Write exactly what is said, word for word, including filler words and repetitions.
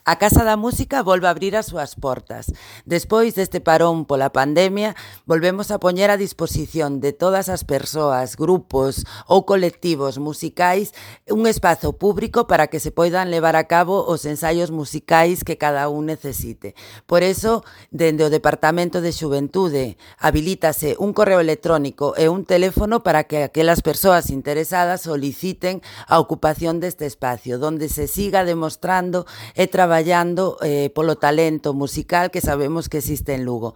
A Casa da Música volve a abrir as súas portas. Despois deste parón pola pandemia, volvemos a poñer a disposición de todas as persoas, grupos ou colectivos musicais un espazo público para que se poidan levar a cabo os ensaios musicais que cada un necesite. Por eso, dende o Departamento de Xuventude, habilítase un correo electrónico e un teléfono para que aquelas persoas interesadas soliciten a ocupación deste espacio, donde se siga demostrando e traballando eh, polo talento musical que sabemos que existe en Lugo.